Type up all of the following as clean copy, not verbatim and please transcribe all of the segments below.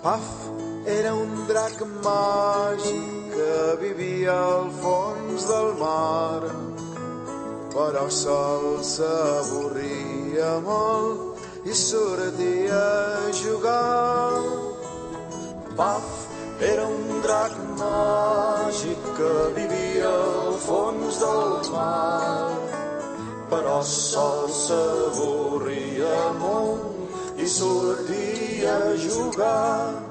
Puff era un drac màgic que vivia al fons del mar, però sol s'avorria molt i sortia a jugar. Puff era un drac màgic que vivia al fons del mar, però sol s'avorria molt i sortia a jugar.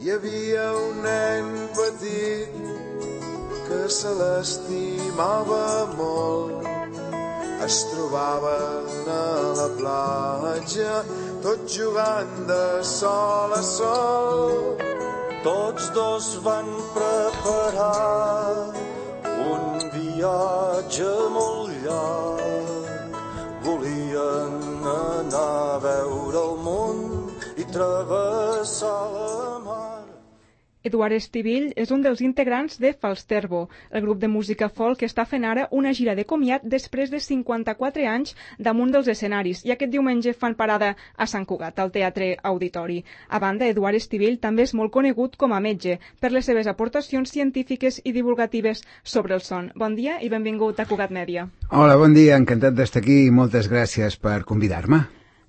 Hi havia un nen petit que se l'estimava molt. Es trobaven a la platja, tots jugant de sol a sol. Tots dos van preparar un viatge molt llarg. Volien anar a veure el món i travessar la mar. Eduard Estivill és un dels integrants de Falsterbo, el grup de música folk que està fent ara una gira de comiat després de 54 anys damunt dels escenaris, i aquest diumenge fan parada a Sant Cugat, al Teatre Auditori. A banda, Eduard Estivill també és molt conegut com a metge per les seves aportacions científiques i divulgatives sobre el son. Bon dia i benvingut a Cugat Mèdia. Hola, bon dia, encantat d'estar aquí i moltes gràcies per convidar-me.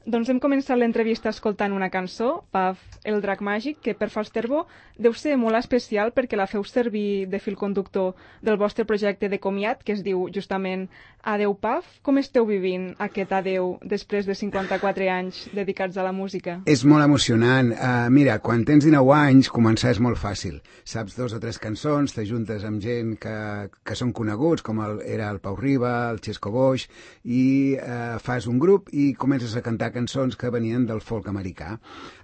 Doncs hem començat l'entrevista escoltant una cançó, Puff, el drac màgic, que per Falsterbo deu ser molt especial perquè la feu servir de fil conductor del vostre projecte de comiat, que es diu justament Adeu Puff. Com esteu vivint aquest adeu després de 54 anys dedicats a la música? És molt emocionant. Mira, quan tens 19 anys, començar és molt fàcil. Saps 2 o 3 cançons, t'ajuntes amb gent que són coneguts, com era el Pau Riba, el Xesco Boix, i fas un grup i comences a cantar cançons que venien del folk americà.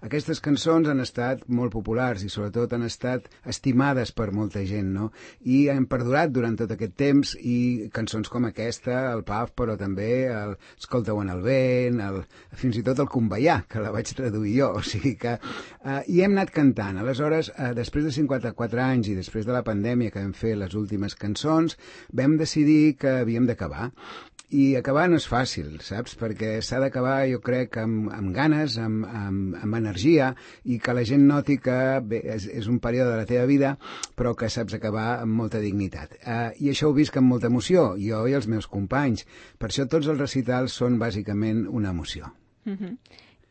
Aquestes cançons han estat molt populars i sobretot han estat estimades per molta gent, no? I han perdurat durant tot aquest temps, i cançons com aquesta, el Puff, però també el Escolta-ho en el vent, fins i tot el Conveià, que la vaig traduir jo, o sigui que... I hem anat cantant. Aleshores, després de 54 anys i després de la pandèmia que vam fer les últimes cançons, vam decidir que havíem d'acabar. I acabar no és fàcil, saps? Perquè s'ha d'acabar, jo crec, amb ganes, amb energia, i que la gent noti que bé, és un període de la teva vida, però que saps acabar amb molta dignitat. I això ho visc amb molta emoció, jo i els meus companys. Per això tots els recitals són bàsicament una emoció.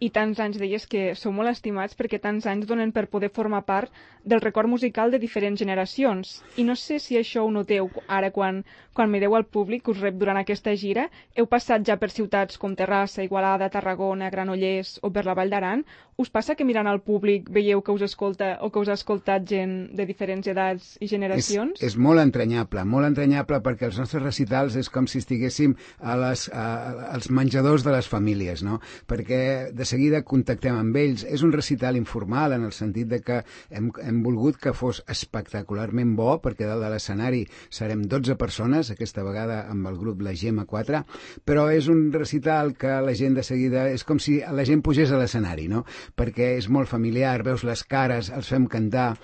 I tants anys deies que sou molt estimats perquè tants anys donen per poder formar part del record musical de diferents generacions. I no sé si això ho noteu ara quan mireu al públic que us rep durant aquesta gira. Heu passat ja per ciutats com Terrassa, Igualada, Tarragona, Granollers o per la Vall d'Aran. Us passa que mirant al públic veieu que us escolta o que us ha escoltat gent de diferents edats i generacions? És molt entranyable perquè els nostres recitals és com si estiguéssim als menjadors de les famílies, no? Perquè de seguida contactem amb ells. És un recital informal en el sentit de que hem volgut que fos espectacularment bo, perquè dalt de l'escenari serem 12 persones, aquesta vegada amb el grup La Gemma 4, però és un recital que la gent de seguida és com si la gent pugés a l'escenari, no? Perquè és molt familiar, veus les cares, els fem cantar,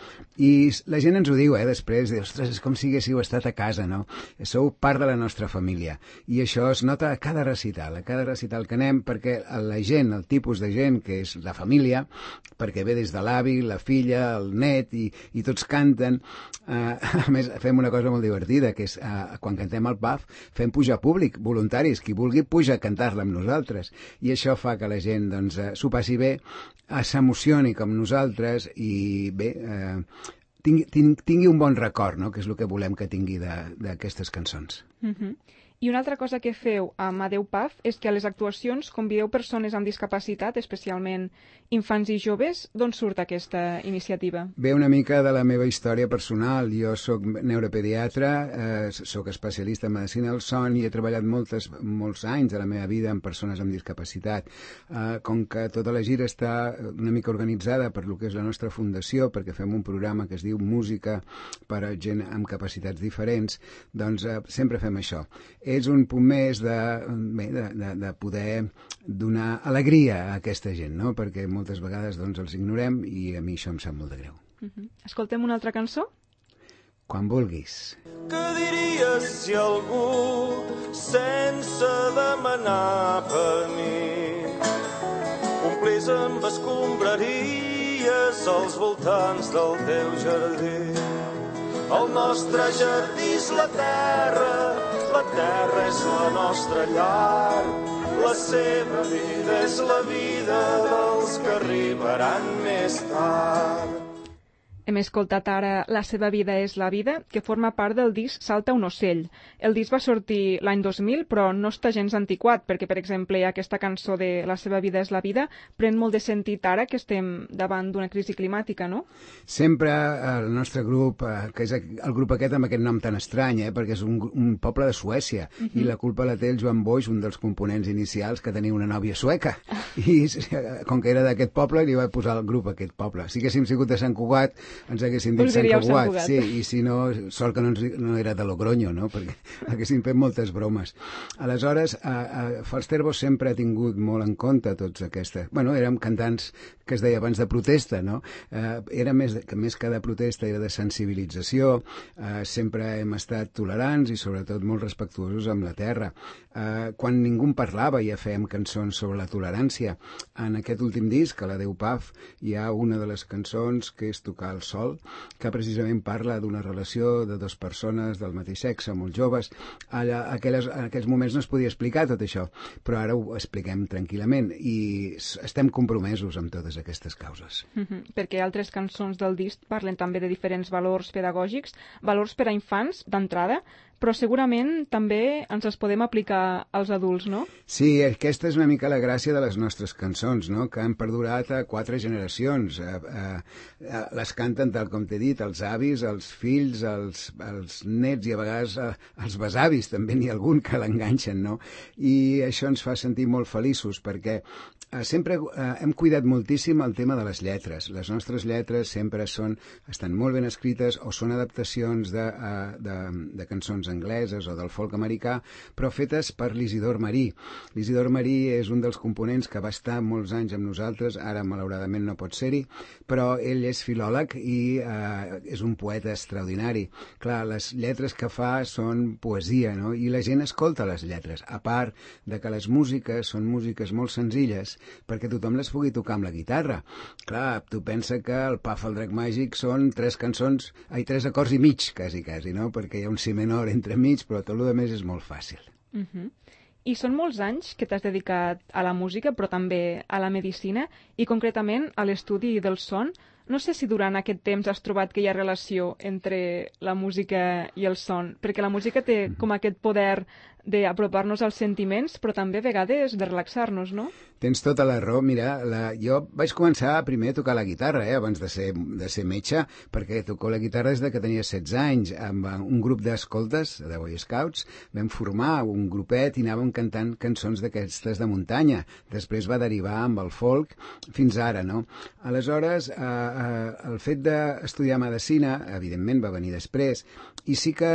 i la gent ens ho diu, després, ostres, és com si haguéssiu estat a casa, no? Sou part de la nostra família, i això es nota a cada recital que anem, perquè la gent, el tipus de gent que és la família, perquè ve des de l'avi, la filla, el net, i tots canten. A més, fem una cosa molt divertida, que és quan cantem el Puff, fem pujar públic, voluntaris, qui vulgui puja a cantar-la amb nosaltres, i això fa que la gent s'ho passi bé, s'emocioni com nosaltres, i bé, tingui un bon record, no? Que és el que volem que tingui d'aquestes cançons. I una altra cosa que feu amb Adeu Puff és que a les actuacions convideu persones amb discapacitat, especialment infants i joves. D'on surt aquesta iniciativa? Ve una mica de la meva història personal. Jo soc neuropediatra, soc especialista en medicina del son i he treballat molts anys de la meva vida amb persones amb discapacitat. Com que tota la gira està una mica organitzada per lo que és la nostra fundació, perquè fem un programa que es diu Música per a gent amb capacitats diferents, doncs sempre fem això. És un punt més de poder donar alegria a aquesta gent, no? Perquè moltes vegades els ignorem i a mi això em sap molt de greu. Escoltem una altra cançó? Quan vulguis. Què diries si algú, sense demanar permís, omplís amb escombraries dies als voltants del teu jardí. El nostre jardí és la terra és la nostra llar. La seva vida és la vida dels que arribaran més tard. Hem escoltat ara La seva vida és la vida, que forma part del disc Salta un ocell. El disc va sortir l'any 2000, però no està gens antiquat, perquè, per exemple, aquesta cançó de La seva vida és la vida pren molt de sentit ara que estem davant d'una crisi climàtica, no? Sempre el nostre grup, que és el grup aquest amb aquest nom tan estrany, perquè és un poble de Suècia, i la culpa la té el Joan Boix, un dels components inicials, que tenia una nòvia sueca. I com que era d'aquest poble, li va posar el grup a aquest poble. Si haguéssim sigut de Sant Cugat, ens haguéssim dit Sant Cugat, sí, i si no, sort que no era de Logroño, no? Perquè haguéssim fet moltes bromes. Aleshores, Falsterbo sempre ha tingut molt en compte tots aquestes... Bueno, érem cantants que es deia abans de protesta, no? Era més que de protesta, era de sensibilització, sempre hem estat tolerants i sobretot molt respectuosos amb la terra. Quan ningú en parlava ja fèiem cançons sobre la tolerància. En aquest últim disc, a la Déu Paf, hi ha una de les cançons que és Tocar el sol, que precisament parla d'una relació de dues persones del mateix sexe, molt joves. En aquells moments no es podia explicar tot això, però ara ho expliquem tranquil·lament i estem compromesos amb totes aquestes causes. Perquè altres cançons del disc parlen també de diferents valors pedagògics, valors per a infants, d'entrada, però segurament també ens els podem aplicar als adults, no? Sí, aquesta és una mica la gràcia de les nostres cançons, no? Que han perdurat a 4 generacions. Les canten, tal com t'he dit, els avis, els fills, els nets i a vegades els besavis, també n'hi ha algun que l'enganxen, no? I això ens fa sentir molt feliços perquè sempre hem cuidat moltíssim el tema de les lletres. Les nostres lletres sempre estan molt ben escrites o són adaptacions de cançons angleses o del folk americà, però fetes per l'Isidor Marí. L'Isidor Marí és un dels components que va estar molts anys amb nosaltres, ara malauradament no pot ser-hi, però ell és filòleg i és un poeta extraordinari. Clar, les lletres que fa són poesia, no? I la gent escolta les lletres, a part de que les músiques són músiques molt senzilles perquè tothom les pugui tocar amb la guitarra. Clar, tu pensa que el Paf el Drac Màgic són 3 acords i mig, quasi, no? Perquè hi ha un si menor entremig, però tot el més és molt fàcil. I són molts anys que t'has dedicat a la música, però també a la medicina, i concretament a l'estudi del son. No sé si durant aquest temps has trobat que hi ha relació entre la música i el son, perquè la música té com aquest poder d'apropar-nos als sentiments, però també a vegades de relaxar-nos, no? Tens tota la raó. Mira, jo vaig començar primer a tocar la guitarra, abans de ser metge, perquè toco la guitarra des que tenia 16 anys. Amb un grup d'escoltes, de Boy Scouts, vam formar un grupet i anàvem cantant cançons d'aquestes de muntanya. Després va derivar amb el folk fins ara, no? Aleshores, el fet d'estudiar medicina, evidentment, va venir després, i sí que,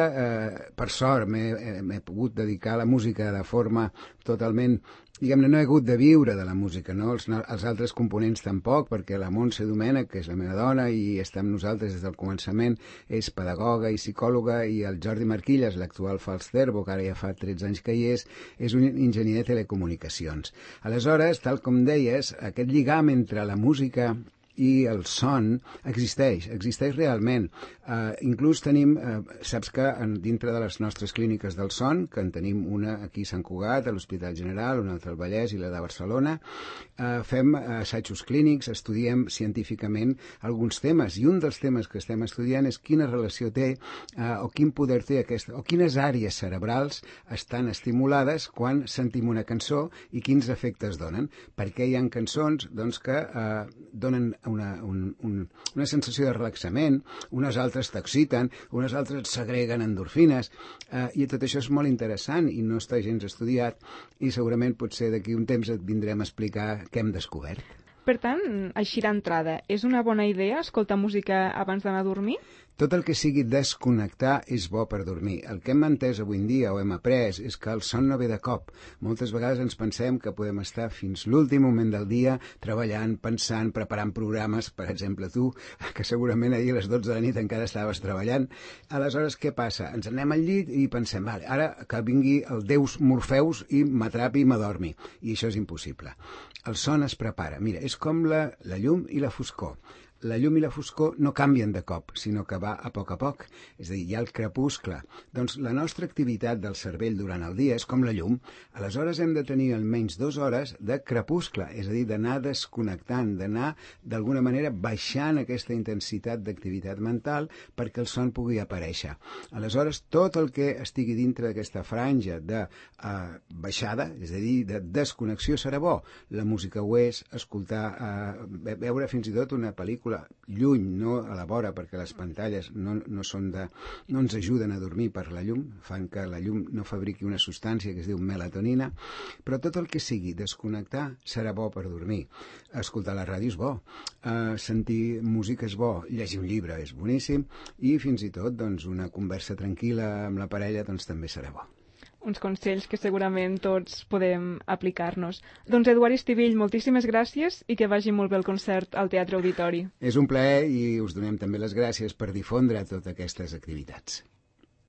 per sort, m'he pogut dedicar a la música de forma totalment... Diguem-ne, no he hagut de viure de la música, no? Els altres components tampoc, perquè la Montse Domènech, que és la meva dona i està amb nosaltres des del començament, és pedagoga i psicòloga, i el Jordi Marquilles, l'actual Falsterbo, que ara ja fa 13 anys que hi és un enginyer de telecomunicacions. Aleshores, tal com deies, aquest lligam entre la música i el son existeix realment. Inclús tenim, saps que dintre de les nostres clíniques del son, que en tenim una aquí a Sant Cugat, a l'Hospital General, una altra al Vallès i la de Barcelona, fem assajos clínics, estudiem científicament alguns temes, i un dels temes que estem estudiant és quina relació té o quin poder té o quines àrees cerebrals estan estimulades quan sentim una cançó i quins efectes donen. Perquè hi ha cançons que donen una sensació de relaxament, unes altres t'exciten, unes altres segreguen endorfines, i tot això és molt interessant i no està gens estudiat, i segurament potser d'aquí un temps et vindrem a explicar què hem descobert. Per tant, així d'entrada, és una bona idea escoltar música abans d'anar a dormir? Tot el que sigui desconnectar és bo per dormir. El que hem entès avui en dia o hem après és que el son no ve de cop. Moltes vegades ens pensem que podem estar fins l'últim moment del dia treballant, pensant, preparant programes, per exemple tu, que segurament ahir a les 12 de la nit encara estaves treballant. Aleshores, què passa? Ens anem al llit i pensem, vale, ara que vingui el Deus Morfeus i m'atrapi i m'adormi. I això és impossible. El son es prepara. Mira, és com la llum i la foscor. La llum i la foscor no canvien de cop, sinó que va a poc. És a dir, hi ha el crepuscle. Doncs la nostra activitat del cervell durant el dia és com la llum. Aleshores hem de tenir almenys 2 hores de crepuscle, és a dir, d'anar desconnectant, d'anar d'alguna manera baixant aquesta intensitat d'activitat mental perquè el son pugui aparèixer. Aleshores, tot el que estigui dintre d'aquesta franja de baixada, és a dir, de desconnexió serà bo. La música ho és, escoltar, veure fins i tot una pel·lícula lluny, no a la vora, perquè les pantalles no ens ajuden a dormir per la llum, fan que la llum no fabriqui una substància que es diu melatonina, però tot el que sigui desconnectar serà bo per dormir. Escoltar la ràdio és bo, sentir música és bo, llegir un llibre és boníssim i fins i tot doncs, una conversa tranquil·la amb la parella doncs, també serà bo. Uns consells que segurament tots podem aplicar-nos. Doncs Eduard Estivill, moltíssimes gràcies i que vagi molt bé el concert al Teatre Auditori. És un plaer i us donem també les gràcies per difondre totes aquestes activitats.